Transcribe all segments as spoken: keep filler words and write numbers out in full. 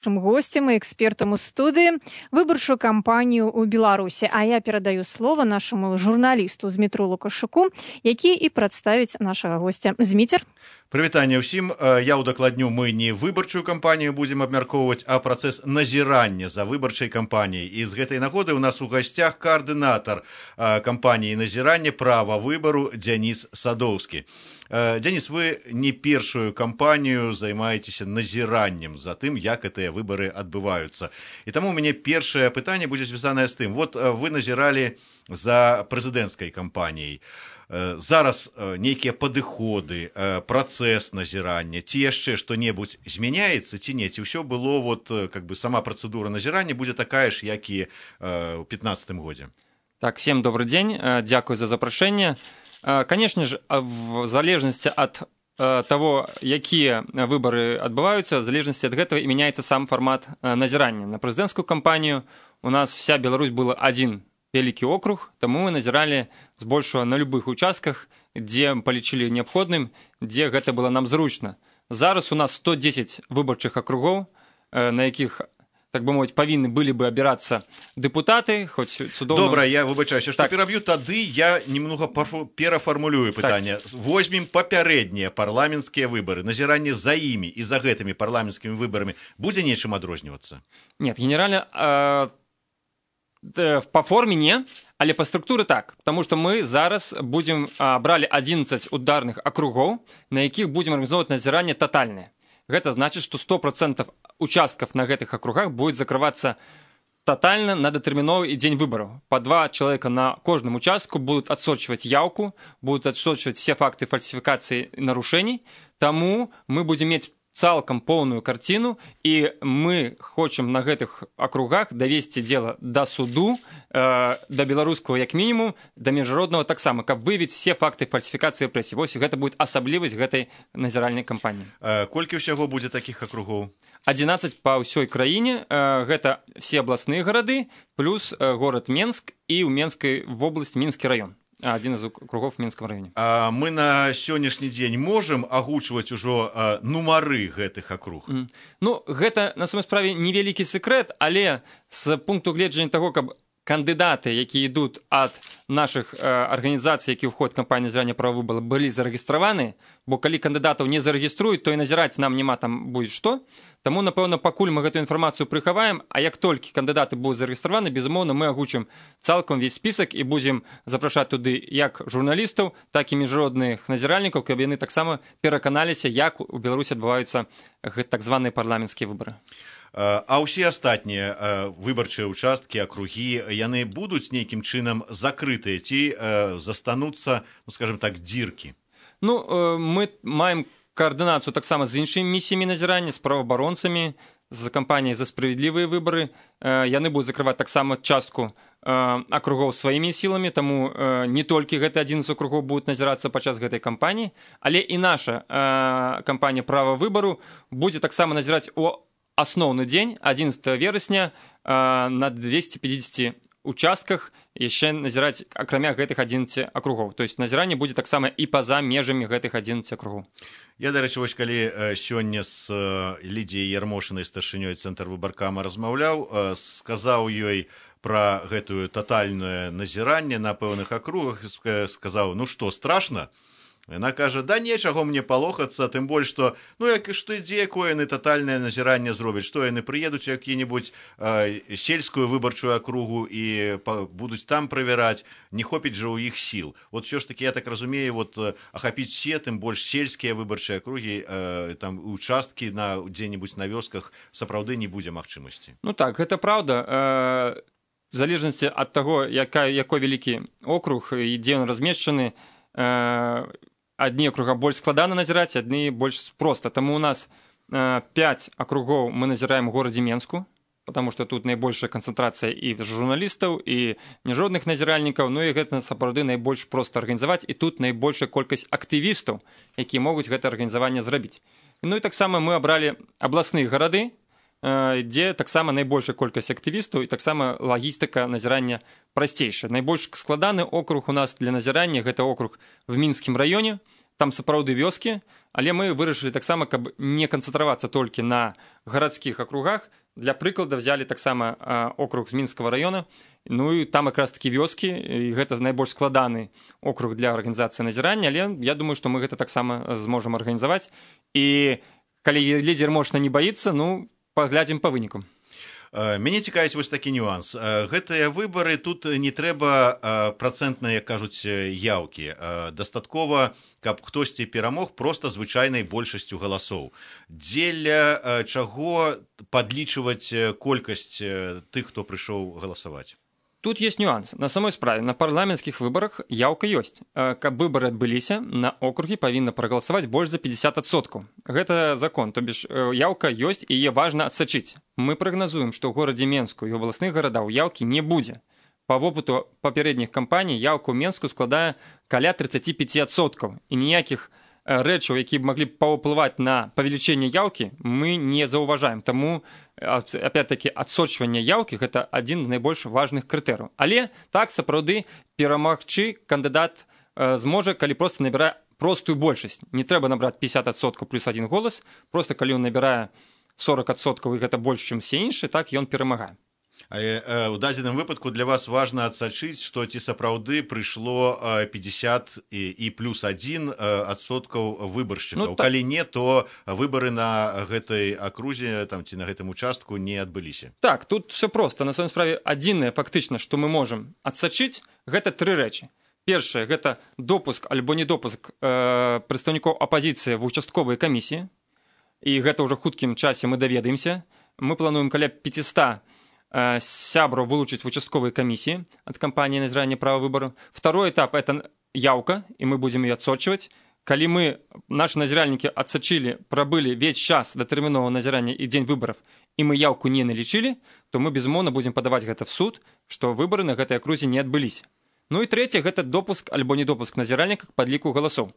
Нашим гостем и экспертом у студии выборчую кампанию у Беларуси. А я передаю слово нашему журналисту Змітру Лукашуку, які і прадставіць нашага гостя. Зміцер. Прывітанне ўсім. Я ўдакладню, мы не выбарчую кампанію будзем абмяркоўваць, а працэс назірання за выбарчай кампаніяй. І з гэтай нагоды у нас у гасцях каардынатар кампаніі назірання права выбару Дзяніс Садоўскі. Дзяніс, вы не першую кампанію займаецеся назіраннем за тым, як гэтыя выбары адбываюцца. І таму у мяне першае пытанне будзе звязанае з тым. Вот вы назіралі за прэзідэнцкай кампаніяй. Зараз нейкія падыходы, працэс назірання, ці яшчэ што-небудзь змяняецца, ці не? Ці ўсё было, вот, как бы, сама працэдура назірання будзе такая ж, як і ў пятнадцатым годзе? Так, всем добрый день, дякую за запрошение. Конечно же, в залежности от того, якія выборы адбываюцца, в залежности от этого и меняется сам формат назірання. На прэзідэнцкую кампанію у нас вся Беларусь была один вялікі округ, таму мы назіралі збольшага на любых участках, дзе палічылі неабходным, дзе гэта было нам зручна. Зараз у нас сто дзесяць выбарчых акругоў, на якіх, так бы мовіць, павінны былі бы абірацца дэпутаты, хоць цудоўна... Добра, я выбачаюся, што так. пераб'ю, тады я немного перафармулюю пытанне. Так. Возьмем папярэднія парламенцкія выбары, назіранне за імі і за гэтымі парламенцкімі выбарамі будзе нечым адрознівацца? Нет, генеральна... Э... По форме не, але по структуре так, потому что мы зараз будем а, брали одиннадцать ударных округов, на якіх будем организовывать назирание тотальное. Это значит, что сто процентов участков на этих округах будет закрываться тотально на датэрміновы день выборов. По два человека на каждом участку будут отсочивать явку, будут отсочивать все факты фальсификации и нарушений. Тому мы будем иметь цалкам полную картину, и мы хочем на гэтых округах довести дело до суду, э, до беларускага як минимум, до международного таксама, каб выявить все факты фальсификации репрессий. Вось гэта будет асаблівасць гэтай назіральнай кампаніі. А колькі ўсяго будзе таких округов? одиннадцать по ўсёй краіне. Э, гэта все областные горады, плюс э, город Менск и у Менской в области Минский район. Один из округов в Минском районе. А мы на сённяшні дзень можем агучваць ужо а, нумары гэтых округ? Mm. Ну, гэта, на самой справе, невялікі секрет, але з пункту гледжання таго, каб кандыдаты, якія ідуць ад нашых э, арганізацый, які ўходзяць у кампанію назірання права выбару, былі зарэгістраваны, бо калі кандыдатаў не зарэгіструюць, то і назіраць нам няма там будзе што. Таму, напэўна, пакуль мы гэту інфармацыю прыхаваем, а як толькі кандыдаты будуць зарэгістраваны, безумоўна, мы агучым цалкам увесь спісак і будзем запрашаць туды як журналістаў, так і міжнародных назіральнікаў, каб яны таксама пераканаліся, як у Беларусі адбываюцца гэта так званыя парламенцкія выбары. А ўсе астатнія выбарчыя участкі, акругі, яны будуць нейкім чынам закрытыя ці застануцца, ну, скажем так, дзіркі? Ну, мы маем координацию таксама з іншымі місіямі назірання, з праваабаронцамі, з кампаніяй «За справядлівыя выбары». Яны будуць закрываць таксама частку акругоў сваімі сіламі, таму не толькі гэты адзін з акругоў будуць назірацца падчас гэтай кампаніі, але і наша кампанія «Права выбару» будзе таксама назіраць у асноўны дзень, одиннадцатого верасня, на двести пятьдесят участках яшчэ назіраць акрамя гэтых одиннадцати акругоў. То есть назіранне будзе таксама і па-за межамі гэтых одиннадцати акругоў. Я, дарэчы, вось калі сёння з Лідзіяй Ярмошынай, старшынёй цэнтр выбаркама, размаўляў, сказаў ёй пра гэтую татальнае назіранне на пэўных акругах, сказаў, ну што, страшна? Яна кажа, да нечаго мне палохацца, тым больш, што, ну, як, што ідзе, якое яны татальнае назіранне зробяць, што яны прыедуць у які-небудзь э, сельскую выбарчую акругу і па, будуць там правяраць, не хопіць жа ў іх сіл. Вот ўсё ж такі, я так разумею, вот, ахапіць все, тым больш сельскія выбарчыя акругі, э, там, участкі на, дзе-небудзь на вёсках сапраўды не будзе магчымасці. Ну так, гэта праўда. Э, в залежнасці ад таго, якой вялікі округ і дзе ён размешчаны, э, одни округа больш складана назіраць, адны больш проста. Таму у нас э, пять округов мы назіраем у горадзе Менску, потому что тут найбольшая канцэнтрацыя і журналістаў, і міжнародных назіральнікаў, ну і гэта сапраўды найбольш проста арганізаваць, і тут найбольшая колькасць актывістаў, якія могуць гэта арганізаванне зрабіць. Ну і таксама мы абралі абласныя гарады, дзе таксама найбольшая колькасць актывістаў і таксама лагістыка назірання прасцейшая. Найбольш складаны округ у нас для назірання гэта округ в Мінскім раёне, там сапраўды вёскі, але мы вырашылі таксама, каб не канцэнтравацца толькі на гарадскіх акругах. Для прыклада взяли таксама округ з Мінскага района, ну і там якраз такі вёскі, і гэта найбольш складаны округ для арганізацыі назірання, але я думаю, што мы гэта таксама зможам арганізаваць. І калі лідер Ярмошына не баіцца, ну, паглядзім па вынікам. Мяне цікавіць вось такі нюанс. Гэтыя выбары, тут не трэба працэнтныя, як кажуць, яўкі. Дастаткова, каб хтосьці перамог проста звычайнай большасцю галасоў. Дзеля чаго падлічваць колькасць тых, хто прыйшоў галасаваць? Тут есть нюанс. На самой справе, на парламенцкіх выбарах яўка ёсць. Каб выбары адбыліся, на округі павінна прагаласаваць больш за пятьдесят адсоткаў. Гэта закон, то бишь яўка ёсць і яе важна адсачыць. Мы прагназуем, што ў горадзе Менску і абласных гарадаў яўкі не будзе. Па вопыту папярэдніх кампаній яўка ў Менску складае каля тридцать пять адсоткаў. І ніякіх рэчаў, якія б маглі паўплываць на павелічэнне яўкі, мы не заўважаем. Таму опять-таки адсочванне яўкі гэта адзін з найбольш важных крытэрыяў. Але так сапраўды перамагчы кандыдат зможа, калі проста набірае простую большасць. Не трэба набраць пятьдесят адсоткаў плюс один голас, просто калі ён набірае сорок адсоткаў і гэта больш, чым все іншыя, так ён перамагае. Але ў дадзеным выпадку для вас важна адсачыць, што ці сапраўды прыйшло пятьдесят і, і плюс один адсоткаў выбаршчыкаў. Ну, так... Калі не, то выбары на гэтай акрузе там, ці на гэтым участку не адбыліся. Так, тут все проста. На самой справе адзінае фактычна, што мы можам адсачыць, гэта тры рэчы. Першае, гэта допуск альбо недопуск э, прадстаўнікоў апазіцыі в участковыя камісіі. І гэта ўжо хуткім часе мы даведаемся. Мы плануем каля пятьсот сябраў вылучыць в участковой комиссии от кампании назирания права выбору. Второй этап – это яўка, и мы будем ее отсочивать. Калі мы, наши назиральники, отсочили, пробыли весь час до терминового назирания и день выборов, и мы яўку не налічили, то мы, безумоўна, будем подавать гэта в суд, что выборы на гэтай акрузе не адбылись. Ну и третье – это допуск альбо недопуск назиральника к подліку голосов.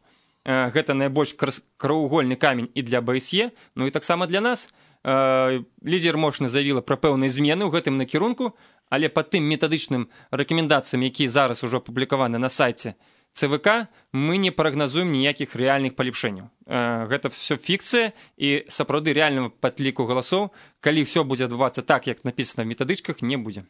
Гэта найбольш краўвугольны камень і для БСЕ, ну і таксама для нас. Лідер Ярмошына заявіла пра пэўныя змены ў гэтым накірунку, але па тым метадычным рэкамендацыям, якія зараз ужо апублікаваны на сайце ЦВК, мы не прагназуем ніякіх рэальных палепшэнняў. Гэта все фікцыя і сапраўды рэальнага падліку галасоў, калі все будзе адбывацца так, як напісана в метадычках, не будзе.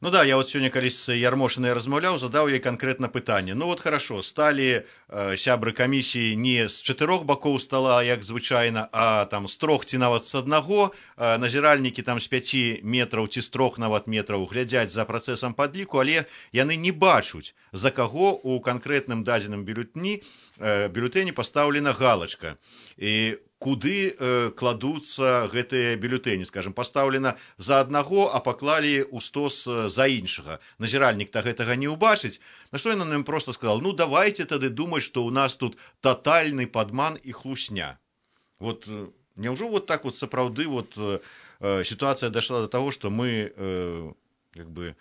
Ну да, я вот сегодня, калі с Ярмошиной размаўляў, задаў ей конкретно пытанне. Ну вот хорошо, стали э, сябры комиссии не с чатырох боков стола, як звычайна, а там с трох ці нават с аднаго. Э, назіральнікі там с пяти метров ці с трох нават метров глядзяць за процессом подліку, але яны не бачуць, за каго у конкретным дадзеным бюллетні, э, бюллетэні поставлена галочка. І куды э, кладуцца гэтыя бюллетэні, скажем, пастаўлена за аднаго, а паклалі ў стос за іншага. Назіральнік-то гэтага не ўбачыць. На што ён нам просто сказал: ну давайте тады думаць, што ў нас тут тотальны падман і хлусня. Вот няўжо вот так вот сапраўды вот э, ситуация дошла до того, что мы э, как бы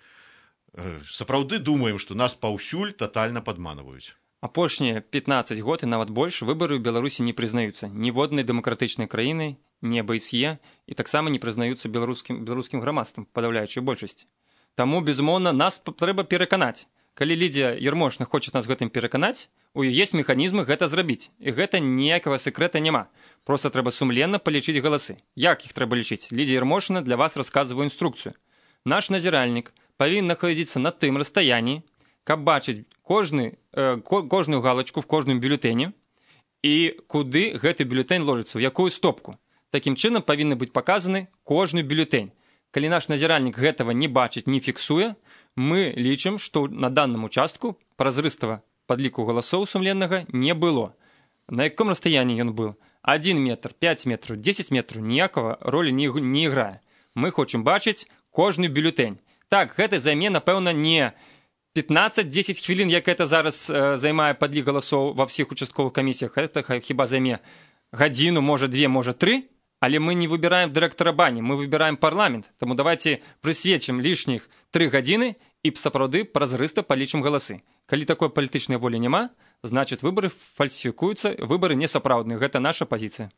э, сапраўды думаем, что нас паўсюль тотально падманваюць. Апошнія пятнадцать год і нават больш выбары ў Беларусі не прызнаюцца ніводнай дэмакратычнай краінай, не БСЕ, і таксама не прызнаюцца беларускім, беларускім грамадствам, падаўляючай большасці. Таму, безумоўна, нас трэба пераканаць. Калі Лідія Ярмошына хоча нас гэтым пераканаць, у ёй ёсць механізмы гэта зрабіць. І гэта ніякага сэкрэта няма. Проста трэба сумленна палічыць галасы. Як іх трэба лічыць? Лідія Ярмошына для вас расказвае інструкцыю. Наш назіральнік павінен знаходзіцца на тым расстаянні, каб бачыць кожны, э, кожную галочку в кожным бюллетэні і куды гэты бюллетень ложыцца, ў якую стопку. Такім чынам павінны быць паказаны кожны бюллетень. Калі наш назіральнік гэтага не бачыць, не фіксуе, мы лічым, што на данным участку празрыстага падліку галасоў сумленнага не было. На якім расстаянні ён быў? один метр, пять метров, десять метров, ніякага ролі не, не іграе. Мы хочам бачыць кожны бюллетень. Так, гэта займе, напэўна, не пятнадцать-десять хвілін, як это зараз э, займае падлік галасоў ва ўсіх участковых камісіях. Это хіба займе гадзіну, можа две, можа тры, але мы не выбираем дырэктара бані, мы выбираем парламент. Таму давайте прысвечым лішніх тры гадзіны і сапраўды празрыста палічым галасы. Калі такой палітычнай волі няма, значит, выборы фальсифікуюцца, выборы несапраўдныя. Гэта наша пазіцыя.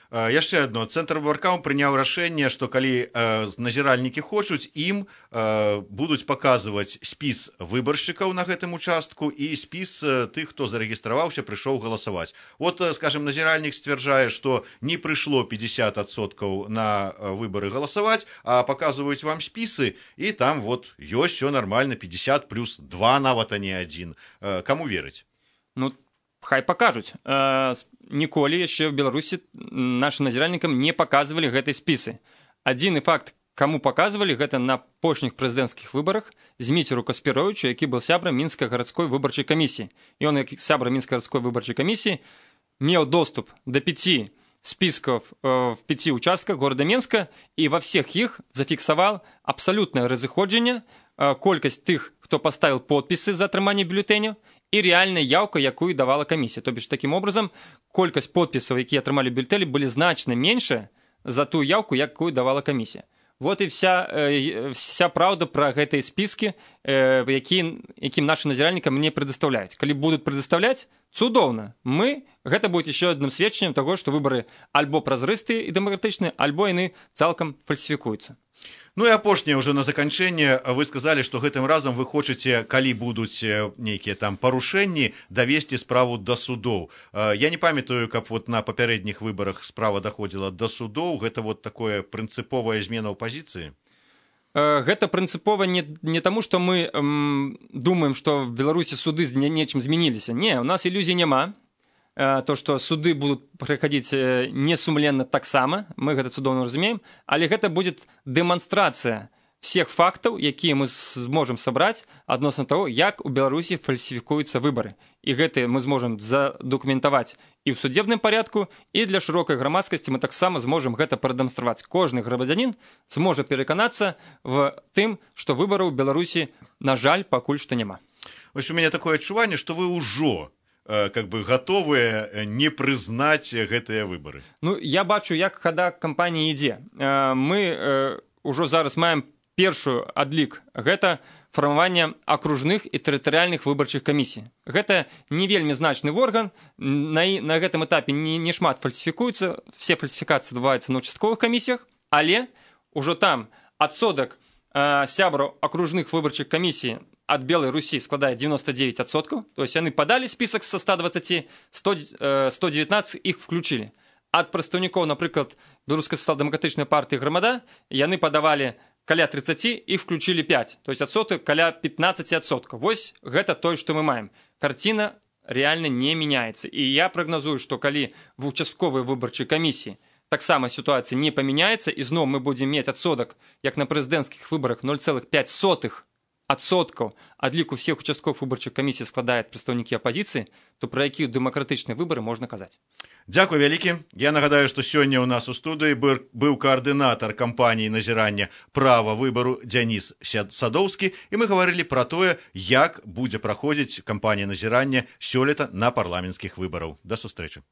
Яшчэ адно, цэнтр выбаркам прыняў рашэнне, што калі э, назіральнікі хочуць, ім э, будуць паказваць спіс выбаршчыкаў на гэтым участку і спіс э, тых, хто зарэгістраваўся, прыйшоў галасаваць. Вот, э, скажем, назіральнік сцвярджае, што не прыйшло пятьдесят адсоткаў на э, выбары галасаваць, а паказваюць вам спісы, і там вот ёсць всё нормально, пятьдесят плюс два нават, а не один. Э, каму верыць? Ну, хай пакажуць. Э, ніколі яшчэ в Беларусі нашим назіральнікам не паказвалі гэтай спісы. Адзіны факт, каму паказвалі, гэта на апошніх прэзідэнцкіх выбарах Зміцеру Каспіровічу, які быў сябрам мінскай гарадской выбарчай камісіі. Ён, як сябра мінскай гарадской выбарчай камісіі, меў доступ да пяти списков э, в пяти участках города Менска, і ва всех іх зафіксаваў абсалютнае разыходжанне, э, колькасць тых, хто паставіў подпісы за атрыманне бюлетэняў, і рэальная яўка, якую давала камісія. То бишь, таким образом, колькасць подпісаў, якія атрымалі бюлетэні, былі значна меншая за ту яўку, якую давала камісія. Вот і вся, э, вся праўда пра гэтыя спіскі, э, які, якім нашим назіральнікам не прадастаўляюць. Калі будуць прадастаўляць, цудоўна. Мы, гэта будзе яшчэ адным сведчаннем таго, што выбары альбо празрыстыя і дэмакратычныя, альбо яны цалкам фальсіфікуюцца. Ну і апошняе ўжо на заканчэнне, вы сказалі, што гэтым разам вы хочаце, калі будуць нейкія там парушэнні, давесці справу да судоў. Я не памятаю, каб вот на папярэдніх выбарах справа даходзіла да судоў, гэта вот такое прынцыповая змена ў пазіцыі? Гэта прынцыпова не, не таму, што мы эм, думаем, што в Беларусі суды з нечым змяніліся. Не, у нас ілюзій няма. То, што суды будуць праходзіць несумленна таксама, мы гэта цудоўна разумеем, але гэта будзе дэманстрацыя всех фактаў, якія мы зможам сабраць адносна таго, як у Беларусі фальсіфікуюцца выбары. І гэта мы зможам задакументаваць і ў судебным парядку, і для шырокай грамадскасці мы таксама зможам гэта прадэманстраваць. Кожны грамадзянін зможа пераканацца в тым, што выбараў у Беларусі, на жаль, пакуль што няма. Вось у мяне такое адчуванне, што вы ўжо как бы готовыя не прызнаць гэтыя выбары. Ну, я бачу, як хада кампаніі ідзе. Мы ўжо зараз маем першую адлік. Гэта фармаванне акружных і тэрытарыяльных выбарчых камісій. Гэта не вельмі значны орган, на, на гэтым этапе не, не шмат фальсіфікуецца, все фальсіфікацыі адбываюцца на участковых камісіях, але ўжо там адсотак э, сябраў акружных выбарчых камісій от Белой Руси складает девяносто девять адсоткаў, то есть они подали список со ста двадцати, сто девятнадцать их включили. От прадстаўнікоў, напрыклад, Беларускай сацыял-дэмакратычнай партыі Грамада, яны падавалі каля тридцати и включили пять, то есть адсотак каля пятнадцать адсоткаў. Вось гэта тое, што мы маем. Карціна реально не меняется. И я прогнозую, что калі в участковой выбарчай камісіі таксама ситуация не поменяется, и зноў мы будем иметь адсотак, як на прэзідэнцкіх выбарах ноль целых пять сотых адсоткаў адліку всех участковых выбарчых камісій складаюць прадстаўнікі апазіцыі, то пра якія дэмакратычныя выбары можна казаць. Дзякуй вялікі. Я нагадаю, што сёння ў нас у студыі быў каардынатар кампаніі назірання права выбару Дзяніс Садоўскі, і мы гаварылі пра тое, як будзе праходзіць кампанія назірання сёлета на парламенцкіх выбараў. Да сустрэчы.